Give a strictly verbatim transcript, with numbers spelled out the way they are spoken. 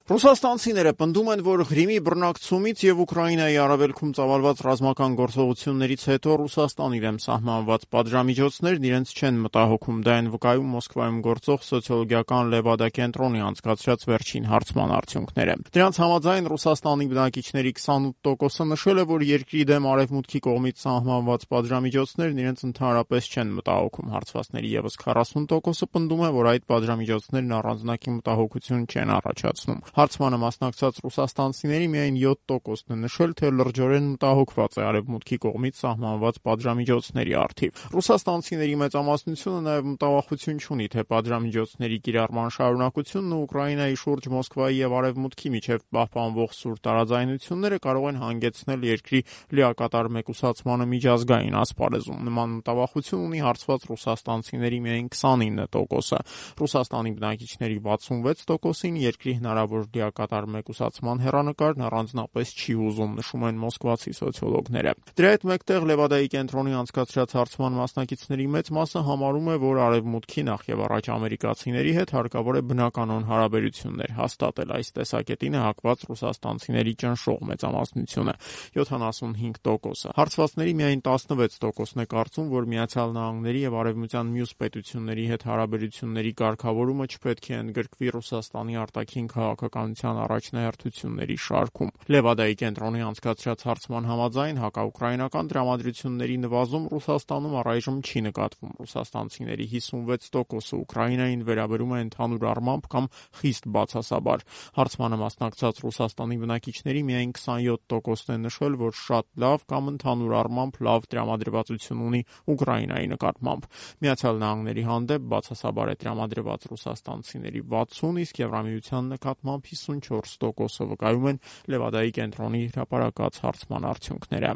Ռուսաստանցիները պնդում են, որ Ղրիմի բռնակցումից և Ուկրաինայի արևելքում ծավալված ռազմական գործողություններից հետո Ռուսաստանի դեմ սահմանված պատժամիջոցներն իրենց չեն մտահոգում, դա են վկայում Մոսկվայում գործող սոցիոլոգիական Լևադա կենտրոնի անցկացրած վերջին հարցման արդյունքները։ Դրանց համաձայն Ռուսաստանի բնակիչների քսանութ տոկոսը նշել է, որ երկրի դեմ Արևմուտքի կողմից սահմանված պատժամիջոցներն իրենց ընդհանրապես չեն մտահոգում։ Հարցվածների ևս քառասուն տոկոսը պնդում է, որ այդ պատժամիջոցներն առանձնակի մտահոգություն չեն առաջացնում։ Հարցմանը մասնակցած ռուսաստանցիների միայն յոթ տոկոսն է նշել, թե լրջորեն մտահոգված է Արևմուտքի կողմից սահմանված պատժամիջոցների առթիվ։ Ռուսաստանցիների մեծամասնությունը նաև մտավախություն չունի, թե պատժամիջոցների կիրառման շարունակությունն ու Ուկրաինայի շուրջ Մոսկվայի և Արևմուտքի միջև պահպանվող սուր տարաձայնությունները կարող են հանգեցնել երկրի լիակատար մեկուսացմանը միջազգային ասպարեզում։ Նման մտավախություն ունի հարցված ռուսաստանցիների միայն քսանինը տոկոսը։ Ռուսաստանի բնակիչների վաթսունվեց տոկոսին երկրի հնարավոր լիակատար մեկուսացման հեռանկարն առանձնապես չի հուզում, նշում են մոսկվացի սոցիոլոգները։ Դրա հետ մեկտեղ Լևադայի կենտրոնի անցկացրած հարցման մասնակիցների մեծ մասը համարում է, որ Արևմուտքի նախ եւ առաջ ամերիկացիների հետ հարկավոր է բնականոն հարաբերություններ հաստատել։ Այս տեսակետին է հակված ռուսաստանցիների ճնշող մեծամասնությունը՝ յոթանասունհինգ տոկոսը։ Հարցվածների միայն տասնվեց տոկոսն է կարծում, որ Միացյալ Նահանգների եւ Արևմտյան մյուս պետությունների հետ հարաբերությունների կարգավորումը չպետք է ընդգրկվի Ռուսաստանի արտաքին քաղաքականության առաջնահերթությունների շարքում։ Լևադայի կենտրոնի անցկացրած հարցման համաձայն հակաուկրաինական տրամադրությունների նվազում Ռուսաստանում առայժմ չի նկատվում։ Ռուսաստանցիների հիսունվեց տոկոսը Ուկրաինային վերաբերում է ընդհանուր առմամբ կամ խիստ բացասաբար։ Հարցմանը մասնակցած Ռուսաստանի բնակիչների միայն քսանյոթ տոկոսն է նշել, որ շատ լավ կամ ընդհանուր առմամբ լավ տրամադրվածություն ունի Ուկրաինայի նկատմամբ։ Միացյալ Նահանգների հանդեպ բացասաբար է տրամադրված ռուսաստանցիների վաթսուն, իսկ Եվրամիության նկատմամբ հիսունչորս տոկոսը, վկայում են Լևադայի կենտրոնի հրապարակած հարցման արդյունքները։